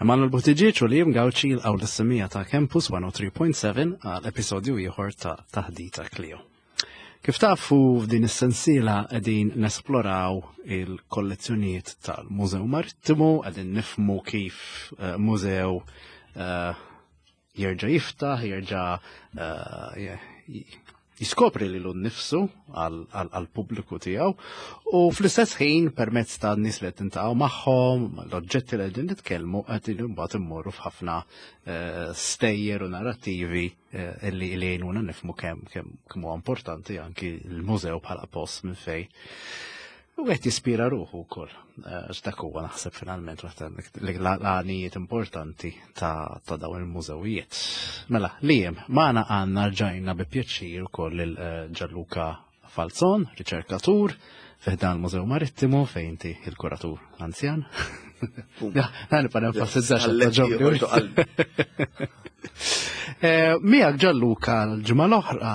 Emanuel Buttigieg u Liam Gauci jilqgħu lis-semija ta' Campus 103.7 għal episodju ieħor ta' Taħdita Clio. Kif tafu f'din is-sensiela qegħdin nesploraw il-kollezzjonijiet tal-Mużew Marittimu, qegħdin nifmu kif eh, mużew eh, jerġa' jiftaħ, jerġa' eh, jiskopri lilu nnifsu għall-pubbliku tiegħu u fl-istess ħin permezz ta' nies li qed tintaqgħu magħhom, l-oġġetti li qegħdin nitkellmu qed imbagħad immorru f'ħafna eh, stejjer u narrattivi eh, li jgħinuna nifmu kemm kemm huwa importanti anki l-mużew bħala post minn fejn U għet jispira ruħu wkoll. Eh, x'dak huwa naħseb finalment waħda l-għanijiet importanti ta' dawn il-mużewijiet. Mela, lijem, maħna għanna rġajna bi pjaċir ukoll il eh, Gianluca Falzon, riċerkatur, fiħdan il-Mużew Marittimu fejn inti il-kuratur anzjan. Għan pa nenfasizzax eh, Miegħek Gianluca l-ġimgħa l-oħra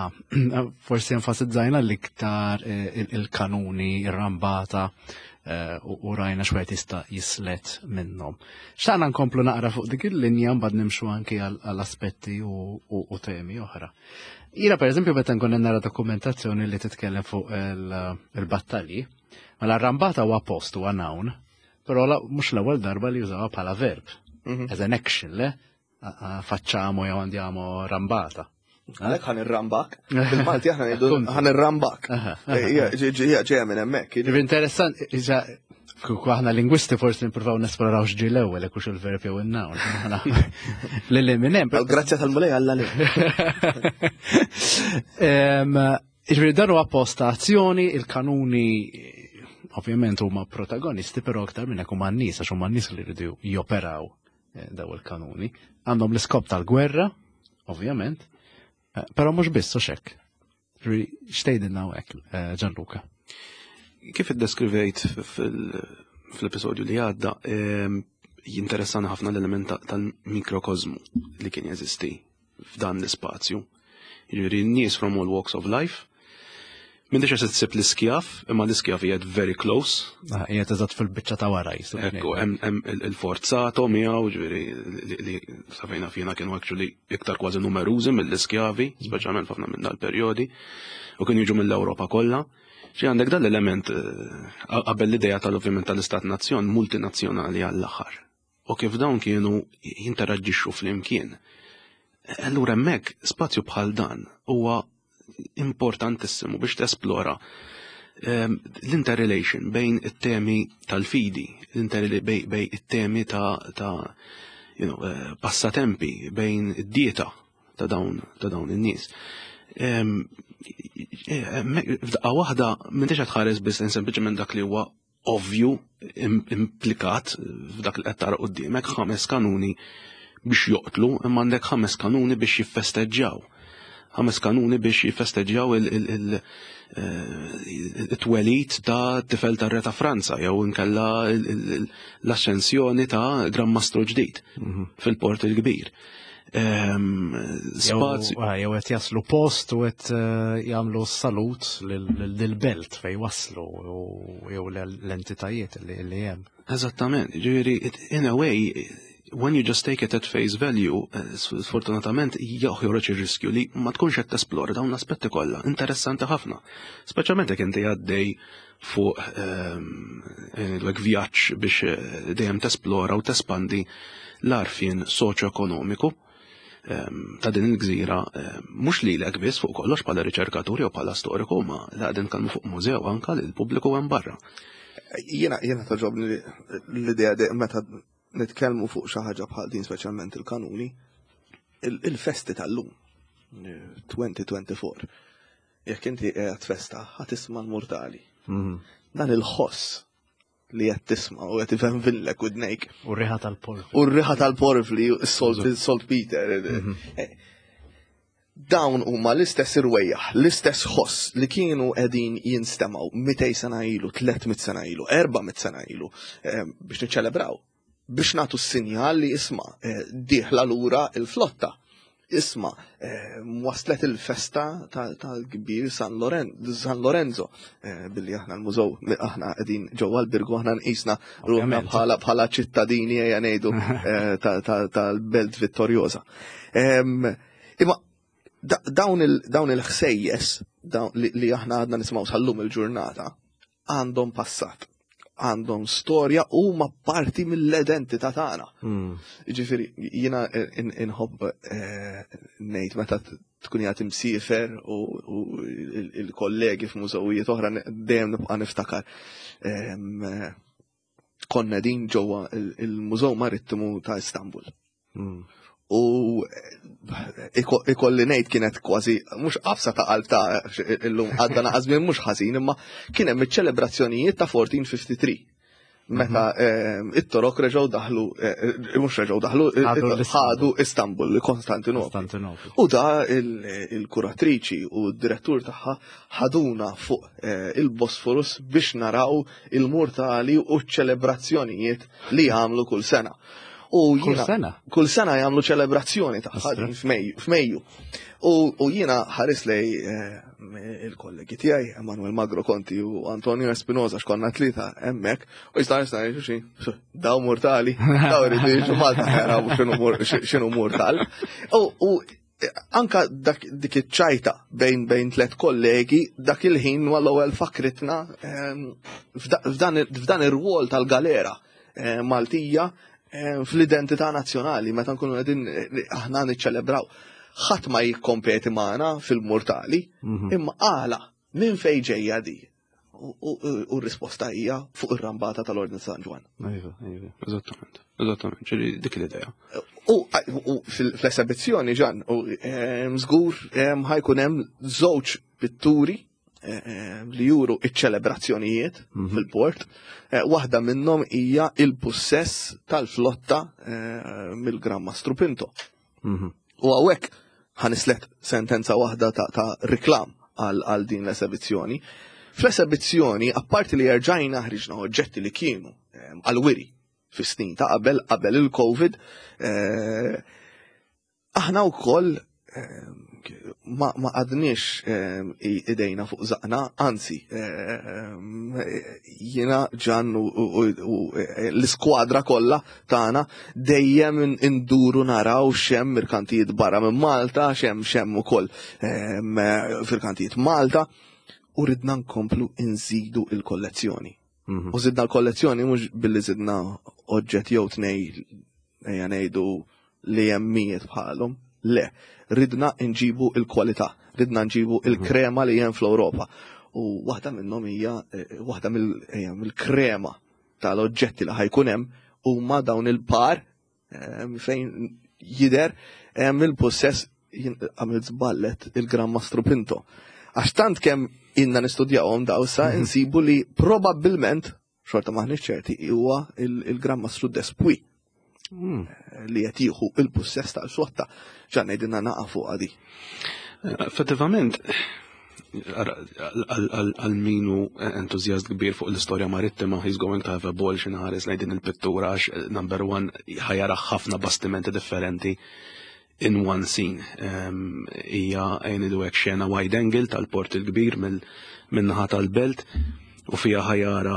forsi enfasizzajna l-iktar eh, il-kanuni, ir-rambata eh, u rajna xwed jista' jislet minnhom. Xtaqna nkomplu naqra fuq dik il-linja mbagħad nimxu anki għall-aspetti u temi oħra. Jira per eżempju meta nkun nara dokumentazzjoni li titkellem fuq il-battalji, mela rambata huwa post huwa noun, però mhux l-ewwel darba li jużawha bħala verb. As an action, le? Facciamo jew andiamo rambata. Għalek ħan irrambak. Bil-Malti aħna ngħidu ħan irrambak. Ġeja minn hemmhekk. Interessant, kieku aħna lingwisti forsi nippruvaw nesploraw x'ġi l-ewwel hekk hux il-verb jew in-noun. Lili minn hemm. Grazzja tal-Mulej Alla li. Jiġifieri dan huwa post ta' azzjoni, il-kanuni ovvjament huma protagonisti, però aktar minn hekk huma n-nies għax huma n-nies li jridu joperaw eh, daw il-kanuni. Għandhom l-iskop tal-gwerra, ovvjament, eh, però mhux biss u xekk. Xtejdilna hawnhekk, eh, Gianluca. Kif iddeskrivejt fil-episodju li għadda, ehm, jinteressani ħafna l-element tal-mikrokozmu li kien jeżisti f'dan l-ispazju. Jiġifieri n-nies from all walks of life. M'intix qed tsib l-iskjaf, imma l-iskjaf qiegħed very close. Ah, qiegħed eżatt fil-biċċa ta' wara jisu. Ekku, hemm il-forzato miegħu, ġifieri li safejna fina kienu actually iktar kważi numerużi mill-iskjavi, speċjalment f'ħafna minn dal-perjodi, u kienu jiġu mill-Ewropa kollha. Xi għandek dan l-element eh, qabel l-idea tal-ovvjament tal-istat nazzjon multinazzjonali għall-aħħar. U kif dawn kienu jinteraġixxu flimkien. Allura hemmhekk spazju bħal dan huwa importantissimu biex tesplora ehm, l-interrelation bejn it-temi tal-fidi, bejn it-temi ta', ta you know, eh, passatempi, bejn id-dieta ta' dawn ta' dawn in-nies. Ehm, eh, f'daqqa waħda m'intix qed tħares biss sempliċement dak li huwa ovvju implikat f'dak li qed tara quddiemek ħames kanuni biex joqtlu, imma għandek ħames kanuni biex jiffesteġġjaw. Ħames kanuni biex jiffesteġġjaw il-twelid eh, ta' tifel ta' re ta' Franza jew inkella l-ascensjoni ta' Gran Mastru ġdid mhm. fil-Port il-Kbir. Ehm, spazju. Ah, jew qed jaslu post u qed eh, jagħmlu salut lill-belt fejn waslu jew l-entitajiet li hemm. Eżattament, ġifieri in a way when you just take it at face value, eh, sfortunatament joħroġ ir-riskju li ma tkunx qed tesplora dawn l-aspetti kollha, interessanti ħafna. Speċjalment jekk inti għaddej fuq ehm, eh, vjaġġ biex eh, dejjem tesplora u tespandi l-għarfien soċjoekonomiku ehm, ta' din il-gżira ehm, mhux lilek biss fuq kollox bħala riċerkatur jew bħala storiku ma la qegħdin nitkellmu fuq mużew anka lil pubbliku hemm barra. Jiena jiena toġobni l-idea meta nitkellmu fuq xi ħaġa bħal din speċjalment il-kanuni, il-festi tal-lum 2024 Jekk inti qiegħed festa, ħa tisma' l-murtali. Mhm. Dan il-ħoss li qed tisma' u qed ifenvinlek widnejk. U r-riħa tal-porfli. U r-riħa tal-porfli, salt Peter. Mhm. Eh, dawn huma l-istess irwejjaħ, l-istess ħoss li kienu qegħdin jinstemaw 200 sena ilu, 300 sena ilu, 400 sena ilu eh, biex niċċelebraw biex nagħtu s-sinjal li isma' eh, dieħla lura il-flotta. Isma, waslet il-festa tal-kbir San Lorenzo billi aħna l-mużew aħna qegħdin ġewwa l-Birgu aħna nqisna ruħna bħala ċittadini ejja ngħidu tal-Belt Vittoriosa. Imma dawn il-ħsejjes li aħna għadna nisimgħu sal-lum il-ġurnata għandhom passat, għandhom storja u ma parti mill-identità tagħna. Ġifieri jiena inħobb ngħid meta tkun qiegħed imsiefer u il-kollegi f'mużewijiet oħra dejjem nibqa' niftakar. Konna din ġewwa il-Mużew Marittimu ta' Istanbul. U ikolli ngħid kienet kważi mhux qabsa ta' qalb ta' illum għadda naqas minn mhux ħażin, imma kien hemm iċ-ċelebrazzjonijiet ta' 1453. Meta it-Torok reġgħu daħlu, mhux reġgħu daħlu, ħadu Istanbul, Konstantinopoli. U da il-kuratriċi u d-direttur tagħha ħaduna fuq il-Bosforus biex naraw il-murtali u ċ-ċelebrazzjonijiet li jagħmlu kull sena. U kull sena? Kull sena jagħmlu ċelebrazzjoni tagħha f'Mejju. U jiena ħares lej il-kollegi tiegħi, Emanuel Magro Conti u Antonio Espinosa x'konna tlieta hemmhekk, u jista' jista' jgħidu xi, daw mortali, daw iridu jiġu Malta jaraw x'inhu mortal. U anka dik iċ-ċajta bejn tliet kollegi dak il-ħin mal-ewwel fakritna f'dan ir-rwol tal-galera Maltija fl-identità nazzjonali meta nkunu qegħdin aħna niċċelebraw. Ħadd ma jikkompeti magħna fil-mortali, imma għala minn fejn ġejja di? U r-risposta hija fuq ir-rambata tal-Ordni San Ġwann. Iva, iva, eżattament, eżattament, ġieli dik l-idea. U fl-esebizzjoni ġan, u żgur ħajkun hemm żewġ pitturi li juru iċ-ċelebrazzjonijiet fil-port. Waħda minnhom hija il-pussess tal-flotta mill-Gran Mastru Pinto. U hawnhekk ħanislet sentenza waħda ta' riklam għal din l-esebizzjoni. Fl-esebizzjoni, apparti li erġajna ħriġna oġġetti li kienu għal-wiri fis-snin ta' qabel il-Covid, aħna wkoll ma għadniex idejna fuq zaqna, anzi, jiena Ġan u l-iskwadra kollha tagħna dejjem induru naraw x'hemm mirkantijiet barra minn Malta, x'hemm ukoll firkantijiet Malta, u ridna nkomplu nżidu il-kollezzjoni. U żidna l-kollezzjoni mhux billi żidna oġġett jew tnej ejja ngħidu li hemm mijiet bħalhom. Le, ridna nġibu il-kwalità, ridna nġibu il-krema li hemm fl-Ewropa. U waħda minnhom hija waħda mill-krema tal-oġġetti li ħajkun hemm huma dawn il-par fejn jidher il-possess għamil żballet il-Gran Mastru Pinto. Għax tant kemm inna nistudjawhom daw sa insibu li probabbilment, xorta maħniex ċerti, huwa il-Gran Mastru Despuy li qed jieħu il-pussess tal-flotta. Ġan ngħidilna naqa' fuq għadi. Effettivament, għal minu entużjast kbir fuq l-istorja marittima, he's going to have a ball xi nħares lejn din il-pittura għax number one ħajara ħafna bastimenti differenti in one scene. Hija ngħidu hekk xena wide angle tal-port il-kbir min-naħa tal-belt u fija ħajara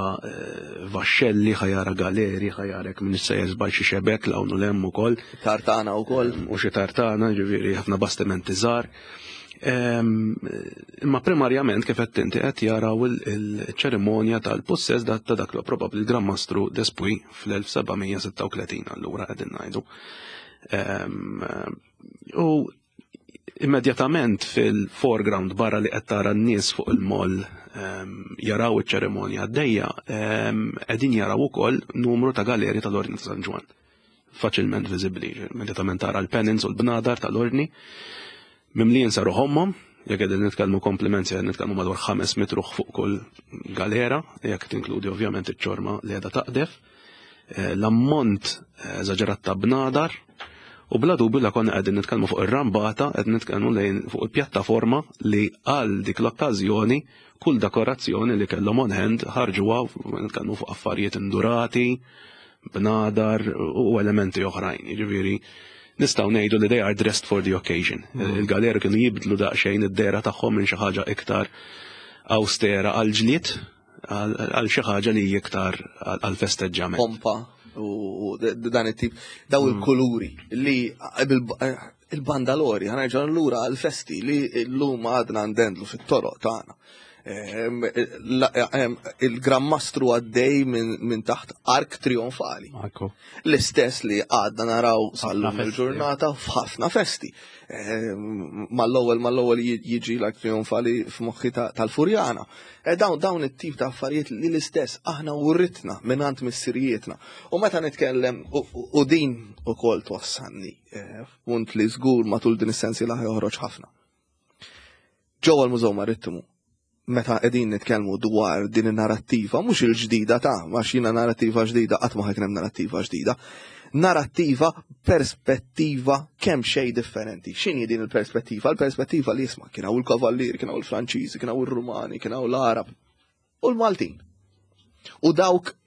vaxxelli, ħajara galeri, ħajara hekk minn issa jeżbal xi xebek l hawn u l-hemm ukoll. Tartana wkoll. U xi tartana, ġifieri ħafna bastimenti żgħar. Imma primarjament kif qed inti qed jaraw il-ċerimonja tal-possess ta' dak li probabbli l-Gran Mastru Despuy fl-1736 allura qegħdin ngħidu. U immedjatament fil-foreground barra li qed tara n-nies fuq il-moll jaraw iċ-ċerimonja għaddejja, qegħdin jaraw ukoll numru ta' galeri tal-Ordni ta' San Ġwann. Faċilment viżibbli, immedjatament tara l-pennants u l-bnadar tal-Ordni. Mimlijin saru ħommhom, jekk qegħdin nitkellmu komplimenti, qegħdin nitkellmu madwar 5 mitruħ fuq kull galera, jekk tinkludi ovvjament iċ-ċorma li qiegħda taqdef. L-ammont eżaġerat ta' bnadar, u bla dubju la konna qegħdin nitkellmu fuq ir-rambata, qed nitkellmu lejn fuq il-pjattaforma li għal dik l-okkażjoni kull dekorazzjoni li kellhom on hand ħarġuha, nitkellmu fuq affarijiet indurati, bnadar u elementi oħrajn. Jiġifieri Nistgħu ngħidu li they are dressed for the occasion. Il-galeri kienu jibdlu daqsxejn id-dehra tagħhom minn xi ħaġa iktar austera għal ġlied għal xi ħaġa li hija iktar għal festeġġament. Pompa u dan it-tip daw il-kuluri li il-bandalori ħa nerġgħu lura għal-festi li llum għadna ndendlu fit-toroq tagħna. Il-Gran Mastru għaddej minn taħt ark trionfali. L-istess li għadna naraw sal-lum il-ġurnata f'ħafna festi. Mal-ewwel jiġi l-ark trionfali f'moħħi tal-Furjana. E dawn it-tip ta' affarijiet li l-istess aħna writna mingħand missirijietna. U meta nitkellem u din ukoll twassalni f'punt li żgur matul din is-sensiela joħroġ ħafna. Ġewwa l-Mużew Marittimu, meta qegħdin nitkellmu dwar din in-narrattiva, mhux il-ġdida ta' għax jiena narrattiva ġdida qatt ma ħa jkun hemm narrattiva ġdida. Narrattiva perspettiva kemm xejn differenti. X'inhi din il-perspettiva? Il-perspettiva li jisma' kien hawn il-kavallieri, kien hawn il-Franċiżi, kien hawn ir-Rumani, kien hawn l-Arab u l-Maltin. U dawk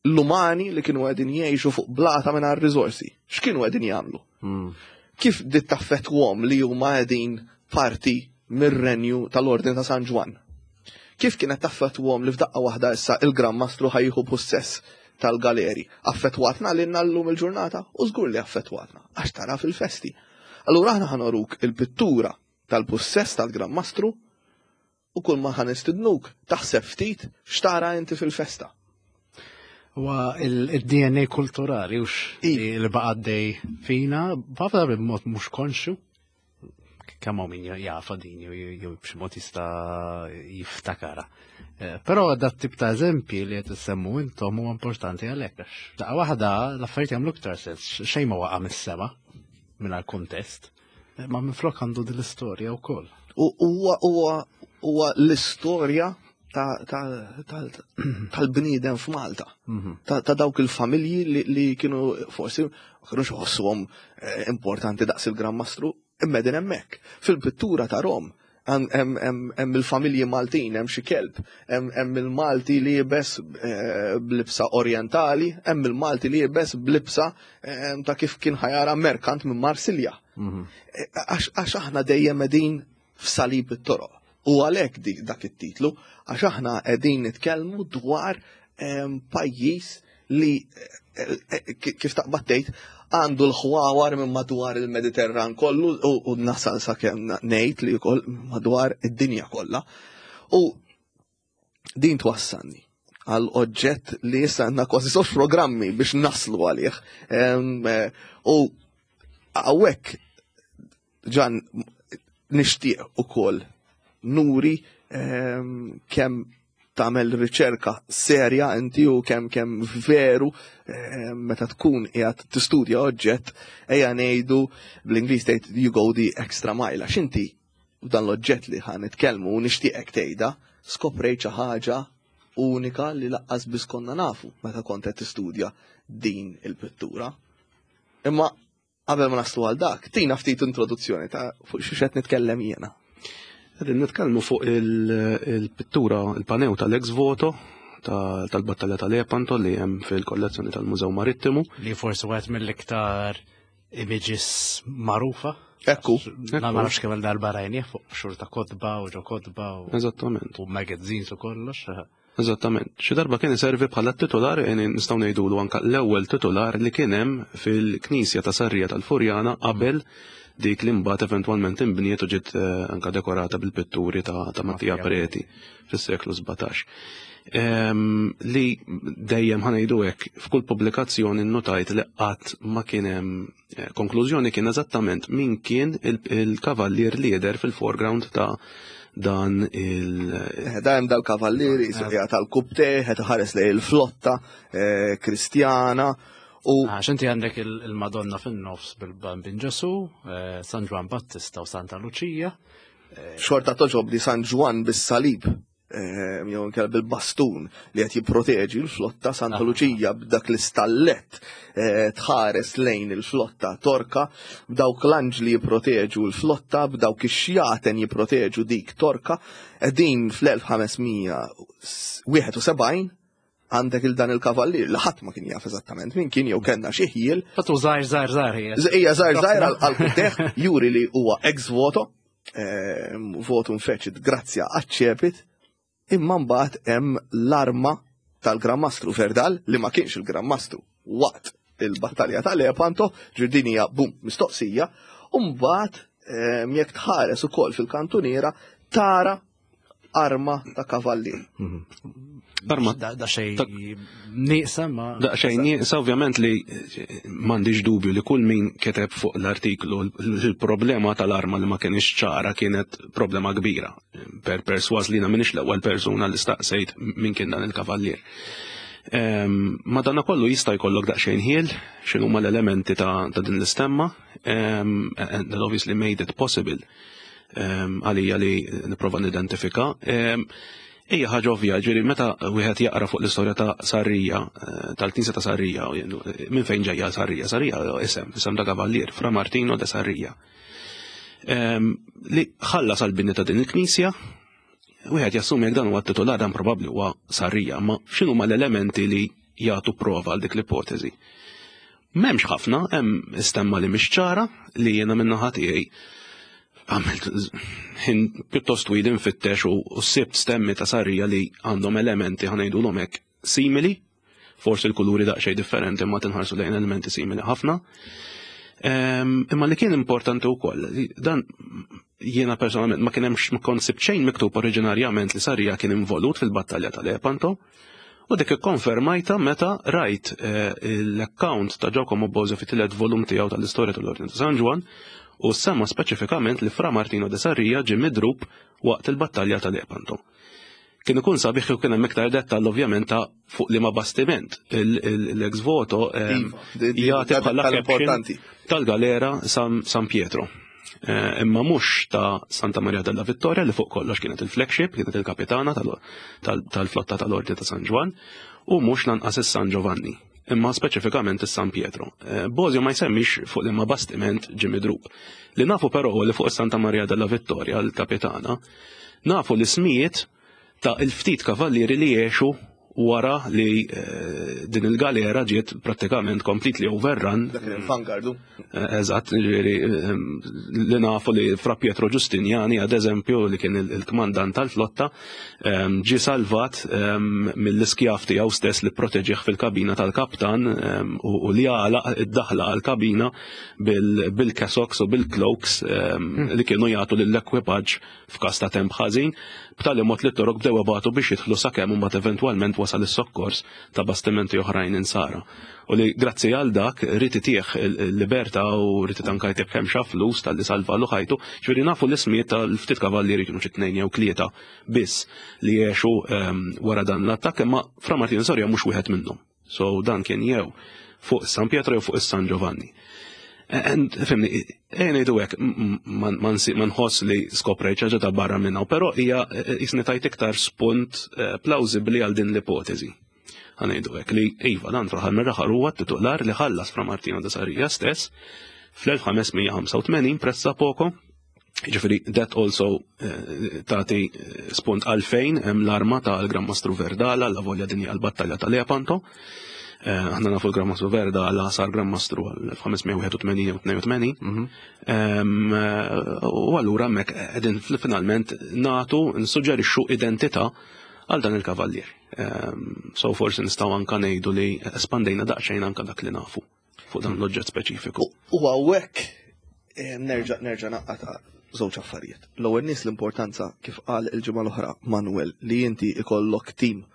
l-umani li kienu qegħdin jgħixu fuq blata mingħajr riżorsi. X'kienu qegħdin jagħmlu? Kif dit taffettwahom li huma qegħdin parti mir-renju tal-Ordni ta' San Ġwann? Kif kienet taffettwahom li f'daqqa waħda issa il-Gran Mastru ħa jieħu possess tal-galeri? Affettwatna lilna llum il-ġurnata? U żgur li affettwatna, għax tara fil-festi. Allura aħna ħa nuruk il-pittura tal-possess tal-Gran Mastru u kull ma ħa nistidnuk taħseb ftit x'tara inti fil-festa. Huwa il-DNA kulturali ux li baqa' għaddej fina, b'ħafna b'mod mhux konxju, kemm hawn min jafa din jew b'xi mod jista' jiftakara. Però dat tip ta' eżempji li qed issemmu intom huwa importanti għalhekk għax daqqa waħda l-affarijiet jagħmlu iktar sens, xejn ma waqa' mis-sema mingħajr kuntest, ma minflok għandu din l-istorja wkoll. U huwa l-istorja tal-bniedem f'Malta, ta' dawk il-familji li kienu forsi ma kienux iħossuhom importanti daqs il-Gran Mastru, imma din hemmhekk. Fil-pittura ta' Rom hemm il-familji Maltin, hemm xi kelb, hemm il-Malti li jibes blibsa orientali, hemm il-Malti li jibes blibsa ta' kif kien ħa jara merkant minn Marsilja. Għax aħna dejjem qegħdin f'salib it-toroq. U għalhekk dak it-titlu, għax aħna qegħdin nitkellmu dwar pajjiż li kif taqbad tgħid għandu l-ħwawar minn madwar il-Mediterran kollu u nasal sakemm ngħid li wkoll madwar id-dinja kollha. U din twassalni għal oġġett li issa għandna kważi żewġ programmi biex naslu għalih. U hawnhekk ġan nixtieq ukoll nuri kemm tagħmel riċerka serja inti u kemm veru meta tkun qiegħed tistudja oġġett, ejja ngħidu bl-Ingliż tgħid you go the extra mile, għax inti dan l-oġġett li ħa nitkellmu u nixtieqek tgħidha skoprejt xi ħaġa unika li laqqas biss konna nafu meta kont qed tistudja din il-pittura. Imma qabel ma naslu għal dak, tina ftit introduzzjoni ta' fuq xi qed nitkellem jiena. Qegħdin nitkellmu fuq il-pittura, il-panew tal-ex voto tal-Battalja tal-Lepanto li hemm fil-kollezzjoni tal-Mużew Marittimu. Li forsi wieħed mill-iktar images magħrufa. Ekku. Ma nafx kemm darba rajnieh fuq xhur ta' kotba u ġo kotba u Eżattament. u magazines u kollox. Eżattament. Xi darba kien iservi bħala titular, nistgħu ngħidulu anke l-ewwel titular li kien hemm fil-Knisja ta' Sarrija tal-Furjana qabel dik li mbagħad eventwalment inbniet u ġiet anke dekorata bil-pitturi ta' Mattia Preti fis-seklu 17. Li dejjem ħa ngħidu hekk f'kull pubblikazzjoni nnotajt li qatt ma kien hemm konklużjoni kien eżattament min kien il-kavallier li jidher fil-foreground ta' dan il- Da hemm dal-kavallieri, qiegħed tal-kubte, qed iħares lejn il-flotta Kristjana u Għax inti għandek il-Madonna fin-nofs bil-Bambin Ġesu, San Ġwann Battista u Santa Luċija. Xorta toġob li San Ġwann bis-salib, jew inkella bil-bastun li qed jipproteġi l-flotta, Santa Luċija b'dak l-istallet tħares lejn il-flotta torka, b'dawk l-anġli jipproteġu l-flotta, b'dawk ix-xjaten jipproteġu dik torka, qegħdin fl-1571. Għandek il dan il-kavallier li ħadd ma kien jaf eżattament min kien jew kellna xi ħjiel. Fatu żgħir żgħir żgħir hija. Hija żgħir żgħir għal kuteħ juri li huwa ex voto, votum fecit grazzja aċċepit, imma mbagħad hemm l-arma tal-Gran Mastru Verdal li ma kienx il-Gran Mastru waqt il-battalja ta' Lepanto, ġirdin hija bum mistoqsija, u mbagħad jekk tħares ukoll fil-kantuniera tara arma ta' kavallier. Arma. Da xej nieqsa ma. Da xej nieqsa ovvjament li m'għandix dubju li kull min keteb fuq l-artiklu il-problema tal-arma li ma kienx ċara kienet problema kbira. Per perswas li minix l-ewwel persuna li staqsejt min kien dan il-kavallier. Madana kollu jista' jkollok daqsxejn ħiel x'inhuma l-elementi ta' din l-istemma and that obviously made it possible għalija li nipprova nidentifika. Hija ħaġa ovvja, ġifieri meta wieħed jaqra fuq l-istorja ta' Sarrija, tal-Knisja ta' Sarrija, minn fejn ġejja Sarrija? Sarrija isem, isem ta' kavallier, Fra Martino de Sarrija. Li ħallas għall-bini ta' din il-knisja, wieħed jassumi jekk dan huwa titular dan probabbli huwa Sarrija, ma x'inhuma l-elementi li jagħtu prova għal dik l-ipotezi? M'hemmx ħafna, hemm istemma li mhix ċara li jiena min-naħa tiegħi għamilt ħin pjuttost twil infittex u sibt stemmi ta' Sarrija li għandhom elementi ħa ngħidulhom hekk simili, forsi l-kuluri daqsxejn differenti imma tinħarsu lejn elementi simili ħafna. Imma li kien importanti wkoll, dan jiena personalment ma kien hemmx ma kont sibt xejn miktub oriġinarjament li Sarrija kien involut fil-battalja tal-Lepanto. U dik ikkonfermajta meta rajt l-account ta' Giacomo Bosio fit-tielet volum tiegħu tal-istorja tal-Ordni ta' San Ġwann u semma speċifikament li Fra Martino de Sarrija ġie midrub waqt il-battalja ta' Lepanto. Kien ikun sabiħ kieku kien hemm iktar dettall ovvjament ta' fuq liema bastiment l-ex voto jagħti bħala caption tal-galera San Pietro. Imma mhux ta' Santa Maria della Vittoria li fuq kollox kienet il-flagship, kienet il-kapitana tal-flotta tal-Ordni ta' San Ġwann, u mhux lanqas is-San Giovanni, imma speċifikament is-San Pietro. Bosio ma jsemmix fuq liema bastiment ġie midrub. Li nafu però huwa li fuq is-Santa Maria della Vittoria, l-kapitana, nafu l-ismijiet ta' il-ftit kavallieri li għexu wara li din il-galera ġiet prattikament completely overrun. Dak il-vanguard. Eżatt, ġifieri li nafu li Fra Pietro Giustiniani, ad eżempju, li kien il-kmandant tal-flotta, ġie salvat mill-iskjav tiegħu stess li proteġih fil-kabina tal-kaptan u li għalaq id-daħla għall-kabina bil-cassocks u bil-cloaks li kienu jagħtu lill-ekwipaġġ f'każ ta' temp ħażin, b'tali mod li t-Torok bdew ibatu biex jidħlu sakemm imbagħad eventwalment wasal is-sokkors ta' bastimenti oħrajn insara. U li grazzi għal dak ried itih il-libertà u ried anke jtih kemm xa flus talli salvalu ħajtu. Ġifieri nafu l-ismijiet tal-ftit kavallieri kienu xi tnejn jew tlieta biss li għexu wara dan l-attakk, imma Fra Martino Soria mhux wieħed minnhom. So dan kien jew fuq San Pietro jew fuq is-San Giovanni. And, fimni, ejja ngħidu hekk, ma nħoss li skoprejt xi ħaġa ta' barra minn hawn, però hija jisni tajt iktar spunt plawsibbli għal din l-ipotezi. Ħa ngħidu hekk li iva dan fl-aħħar mill-aħħar huwa t-titular li ħallas Fra Martino de Sarria stess fl-1585 pressa poco. Ġifieri that also tagħti spunt għalfejn hemm l-arma tal-Gran Mastru Verdala, la volja din hija l-battalja ta' Lepanto. Aħna nafu l-Gran Mastru Verdala sar Gran Mastru għal 1581 jew 82. U allura hemmhekk qegħdin finalment nagħtu nsuġġerixxu identità għal dan il-kavallier. So forsi nistgħu anka ngħidu li espandejna daqsxejn anka dak li nafu fuq dan l-oġġett speċifiku. U hawnhekk nerġa' naqqata' żewġ affarijiet. L-ewwel nies l-importanza kif qal il-ġimgħa l-oħra Manuel li inti ikollok tim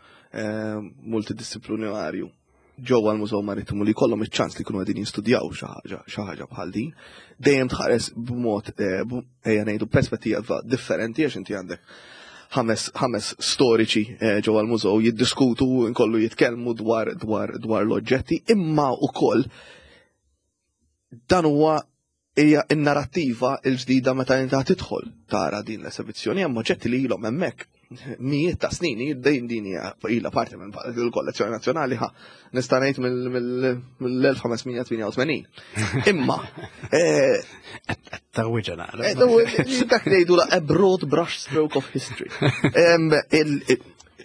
multidisciplinarju ġewwa l-Mużew Marittimu li jkollhom iċ-ċans li jkunu qegħdin jistudjaw xi ħaġa bħal din, dejjem tħares b'mod ejja ngħidu perspettiva differenti għax inti għandek ħames storiċi ġewwa l-mużew jiddiskutu nkollu jitkellmu dwar dwar dwar l-oġġetti, imma wkoll dan huwa hija n-narrattiva l-ġdida meta inti tidħol tara din l-esebizzjoni hemm oġġetti li ilhom hemmhekk mijiet ta' snin, dejjem din hija ilha parti minn il-kollezzjoni nazzjonali ħa nista' ngħid mill-1588. Imma Tawwiġa naqra. Dak ngħidu la a broad brush stroke of history.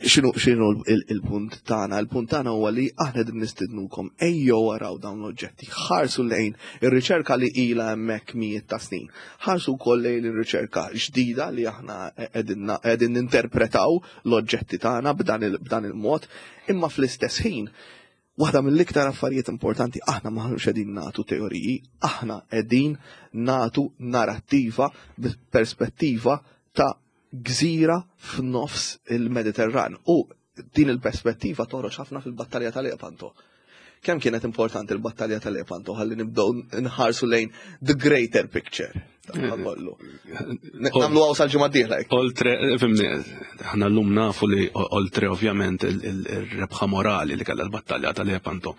X'inhu il-punt tagħna? Il-punt tagħna huwa li aħna qegħdin nistidnukom ejjew waraw dawn l-oġġetti, ħarsu lejn ir-riċerka li ilha hemmhekk mijiet ta' snin. Ħarsu wkoll lejn ir-riċerka ġdida li aħna qegħdin ninterpretaw l-oġġetti tagħna b'dan il-mod, imma fl-istess ħin Waħda mill-iktar affarijiet importanti aħna maħnux qegħdin nagħtu teoriji, aħna qegħdin nagħtu narrattiva perspettiva ta' gżira f'nofs il-Mediterran. U din il-perspettiva toħroġ ħafna fil-battalja tal-Lepanto. Kemm kienet importanti l-battalja tal-Lepanto ħalli nibdew nħarsu lejn the greater picture. Kollu. Nagħmlu għaw sal-ġimgħa d-dieħla. Oltre, fimni, aħna llum nafu li oltre ovvjament il-rebħa morali li kellha l-battalja tal-Lepanto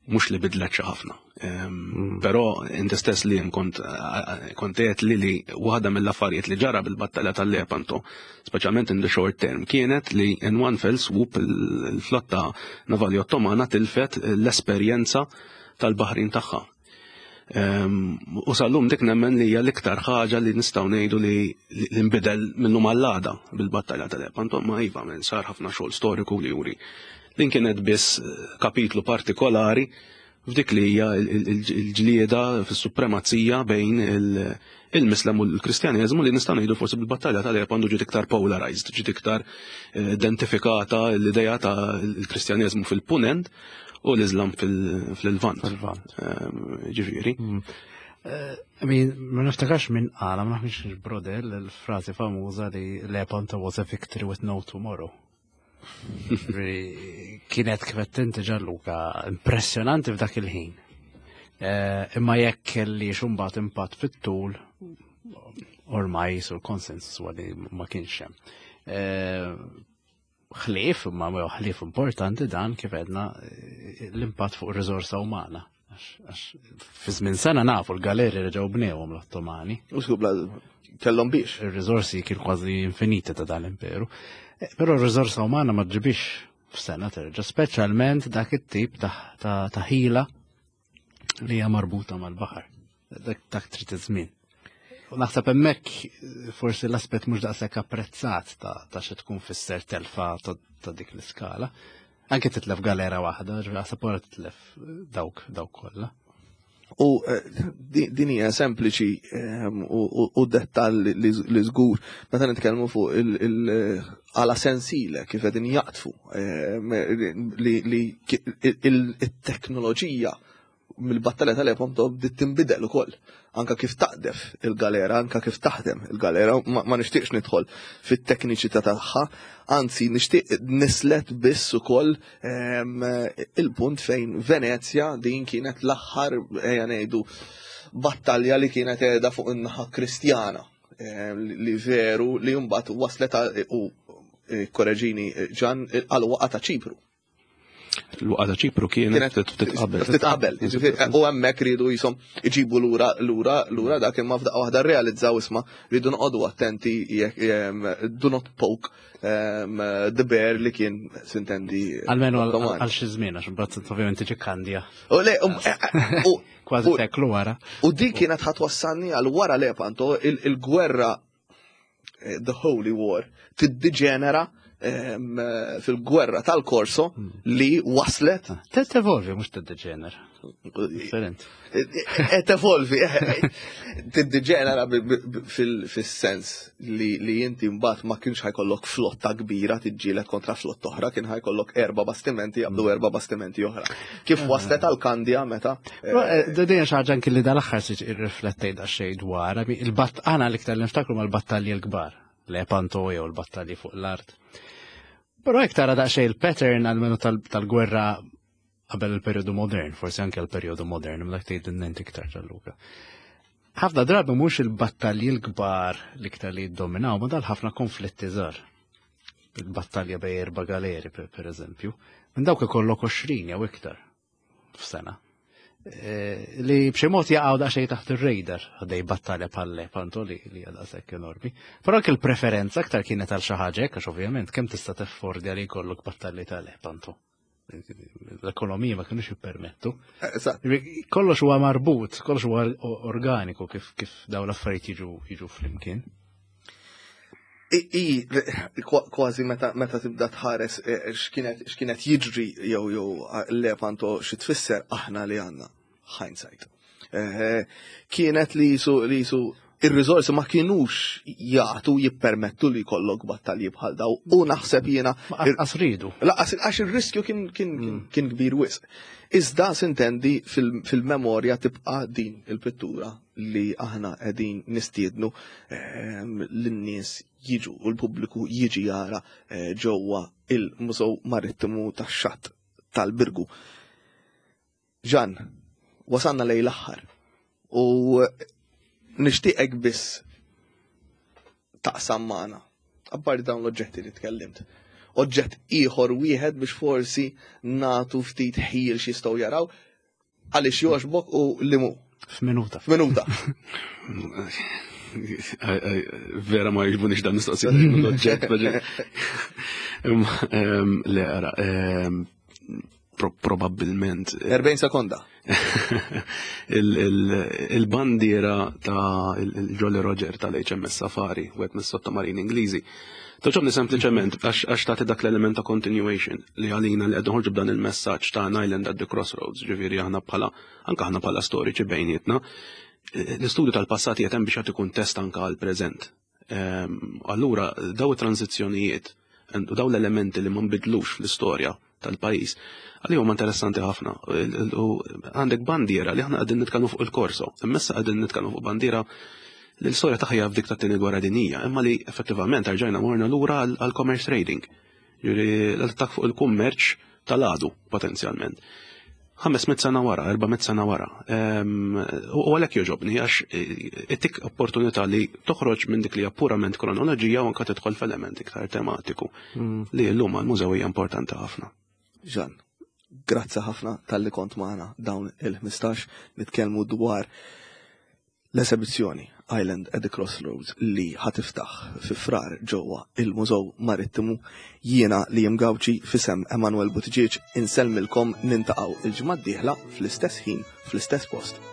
mhux li bidlet xi ħafna. Però inti stess li kont kont qed li li waħda mill-affarijiet li ġara bil-battalja tal-Lepanto, speċjalment in the short term, kienet li in one fell swoop il-flotta navali Ottomana tilfet l-esperjenza tal-baħrin tagħha. U sal-lum dik nemmen li hija l-iktar ħaġa li nistgħu ngħidu li nbidel minnhom għall-għada bil-battalja tal-Lepanto, ma iva minn sar ħafna xogħol storiku li juri. Din kienet biss kapitlu partikolari f'dik li hija l-ġlieda fis-supremazija bejn il-Mislem u l-Kristjaneżmu li nistgħu ngħidu forsi bil-battalja tal-Lepanto ġiet iktar polarized, ġiet iktar identifikata l-idea ta' l-Kristjaneżmu fil-Punent u l-Islam fil-Lvant. Ġifieri. I mean, ma niftakarx minn qala, ma nafx Brodel, il-frażi famuża li Lepanto was a victory with no tomorrow. Kienet kif qed inti Gianluca, impressjonanti f'dak il-ħin. Imma jekk kelli xumbat impatt fit-tul, ormai sul konsensus huwa li ma kienx hemm. Ħlief, imma ħlief importanti dan kif għedna l-impatt fuq ir-riżorsa umana. Għax fi żmien sena nafu l-galeri reġgħu bnewhom l-Ottomani. U żgur bla kellhom biex. Ir-riżorsi kien kważi infiniti ta' dan l-imperu. Però r-riżorsa umana ma ġibix f'sena terġa', speċjalment dak it-tip ta' ħila li hija marbuta mal-baħar. Dak trid iż-żmien. U naħseb hemmhekk forsi l-aspett mhux daqshekk apprezzat ta' xi tkun fisser telfa ta' dik l-iskala. Anke titlef galera waħda, ġifieri naħseb wara titlef dawk dawk kollha. U din hija sempliċi u dettall li żgur meta nitkellmu fuq il-għala sensile kif qegħdin jaqtfu li il-teknoloġija mill-battalja tal-Lepanto bdiet tinbidel ukoll. Anka kif taqdef il-galera, anka kif taħdem il-galera, ma nixtieqx nidħol fit-tekniċità tagħha, anzi nixtieq nislet biss ukoll il-punt fejn Venezja din kienet l-aħħar ejja ngħidu battalja li kienet qiegħda fuq in-naħa Kristjana li veru li mbagħad waslet u korreġini Ġan għal waqa ta' Ċipru. L-waqa ta' Ċipru kienet ftit qabel. Ftit qabel, u hemmhekk ridu jisom iġibu lura lura lura dak imma f'daqqa waħda rrealizzaw isma' rridu noqogħdu attenti jekk do not poke the bear li kien sintendi. Almenu għal xi żmien għax imbagħad ovvjament tiġi Kandja. U le, kważi seklu wara. U dik kienet ħadd wassalni għal wara Lepanto il-gwerra The Holy War tiddiġenera fil-gwerra tal-Korso li waslet. Tevolvi, mux tiddiġenera. Different. Tevolvi, tiddiġenera fil-sens li inti mbagħad ma kienx ħajkollok flotta kbira tiġġieled kontra flotta oħra, kien ħajkollok erba' bastimenti jaqbdu erba' bastimenti oħra. Kif waslet għal Kandja meta? Din xi ħaġa anki li dal-aħħar siġ irriflettejt daqsxejn dwar, il-batt aħna l-iktar li niftakru mal-battalji l-kbar, Lepanto jew l-battalji fuq l-art. Però jekk tara daqsxejn il-pattern għalmenu tal-gwerra qabel il-perjodu modern, forsi anke l-perjodu modern, imma dak tgħid inti iktar Gianluca. Ħafna drabi mhux il-battalji l-kbar l-iktar li jiddominaw, ma dal ħafna konflitti żgħar. Il-battalja bej erba' galeri, per eżempju, minn dawk ikollok 20 jew iktar f'sena. Li b'xi mod jaqgħu daqsxejn taħt ir-radar għaddej battalja bħal Lepanto li hija daqshekk enormi. Però anke l-preferenza aktar kienet għal xi ħaġa hekk għax ovvjament kemm tista' teffordja li jkollok battalji ta' Lepanto. L-ekonomija ma kienux jippermettu. Kollox huwa marbut, kollox huwa organiku kif dawn l-affarijiet jiġu flimkien. I, kważi meta tibda tħares eh, x'kienet jiġri jew jew Lepanto xi tfisser aħna li għandna hindsight. Eh, kienet li jisu li jisu ir-riżorsi ma kienux jagħtu jippermettu li jkollok battalji bħal daw u naħseb jiena. Laqas ridu. Laqas għax ir-riskju kien kien mm. kien kbir wisq. Iżda sintendi fil-memorja tibqa' din il-pittura li aħna qegħdin nistiednu ehm, lin-nies jiġu u l-pubbliku jiġi jara eh, ġewwa il-Mużew Marittimu tax-Xatt tal-Birgu. Ġan, wasanna lejn l-aħħar u nixtieqek biss taqsam magħna. Apparti dawn l-oġġetti li tkellimt. Oġġett ieħor wieħed biex forsi nagħtu ftit ħil x'jistgħu jaraw għaliex jogħġbok u li mu. F'minuta. F'minuta. Vera ma jġbunix dan mistoqsijiet l-oġġett. Le, ara, probabbilment. 40 sekonda. Il-bandiera ta' il-Jolly Roger tal-HMS Safari, u għet mis-sottomarini Ingliżi. Toġobni sempliċement għax tagħti dak l-element ta' continuation li għalina li qed noħorġu b'dan il-messaġġ ta' an island at the crossroads, ġifieri aħna bħala anke aħna bħala storiċi bejnietna, l-istudju tal-passat qiegħed hemm biex jagħti kuntest anke għall-preżent. Ehm, allura daw it-tranzizzjonijiet u daw l-elementi li ma nbidlux fl-istorja tal-pajjiż, għalli huma interessanti ħafna. U għandek bandiera li aħna qegħdin nitkellmu fuq il-korso, imma qegħdin nitkellmu fuq bandiera li l-istorja tagħha f'dik tat-tieni gwerra dinjija, imma li effettivament rġajna morna lura għall-commerce trading. Ġifieri l-attakk fuq il-kummerċ tal-għadu potenzjalment. 500 sena wara, 400 sena wara. Ehm, u għalhekk joġobni għax eh, ittik opportunità li toħroġ minn dik li hija purament kronoloġija u anke tidħol f'element iktar tematiku mm. li llum għall-mużew hija importanti ħafna. Ġan, grazzi ħafna tal-li kont magħna dawn il-15 nitkellmu dwar L-esebizzjoni Island at the Crossroads li ħa tiftaħ fi Frar ġewwa il-Mużew Marittimu, jiena Liam Gauci f'isem Emanuel Buttigieg insellmilkom nintaqgħu il-ġimgħa d-dieħla fl-istess ħin fl-istess post.